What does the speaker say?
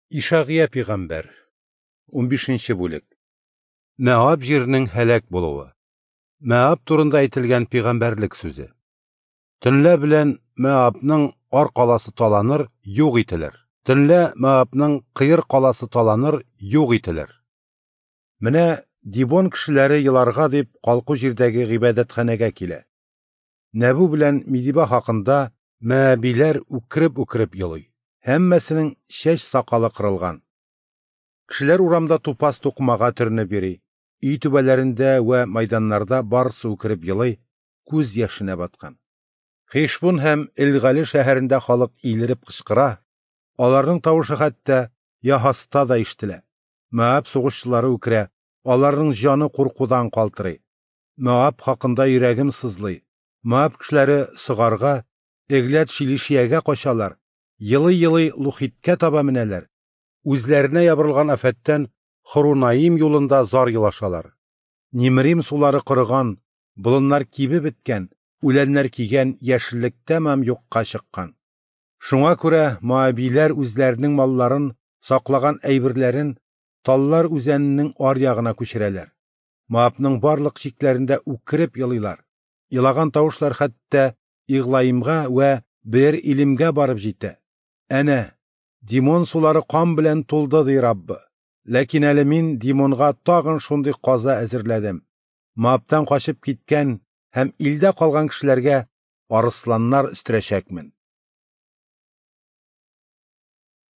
Ишагыя пигамбәр, 15 бүлек. Мәаб җиренең һәлак булуы. Мәаб турында әйтелгән пигамбәрлек сүзе. Төнлә белән Мәабның Ар каласы таланыр, юк ителер. Төнлә Мәабның Кыер каласы таланыр, юк ителер. Менә Дибон кешеләре еларга дип калку җирдәге гыйбадәтханәгә килә. Нәбу белән Мидиба хакында мәабиләр үкереп-үкереп елый. Һәммәсенең чәч сакалы кырылган. Кешеләр урамда тупас тукымага төренеп йөри. Өй түбәләрендә вә майданнарда барысы үкереп елый, күз яшенә баткан. Хишбун һәм Элгале шәһәрендә халык илереп кычкыра, аларның тавышы хәтта Яһаста да ишетелә. Моаб сугышчылары үкерә, аларның җаны куркудан калтырый. Моаб хакында йөрәгем сызлый. Моаб кешеләре Согарга, Эглят-Шилишиягә качалар, елый-елый Лухиткә таба менәләр. Үзләренә ябырылган афәттән Хорунаим юлында зар елашалар. Нимрим сулары корыган, болыннар кибеп беткән, үләннәр кигән, яшеллек тәмам юкка чыккан. Шуңа күрә моабиләр үзләренең малларын, саклаган әйберләрен Таллар үзәненең аръягына күчерәләр. Моабның барлык чикләрендә үкереп елыйлар. Елаган тавышлар хәтта Иглаимга вә Бер-Илимгә барып җитә. Әнә, Димон сулары кан белән тулды, ди Раббы. Ләкин әле мин Димонга тагын шундый каза әзерләдем. Моабтан качып киткән һәм илдә калган кешеләргә арысланнар өстерәчәкмен.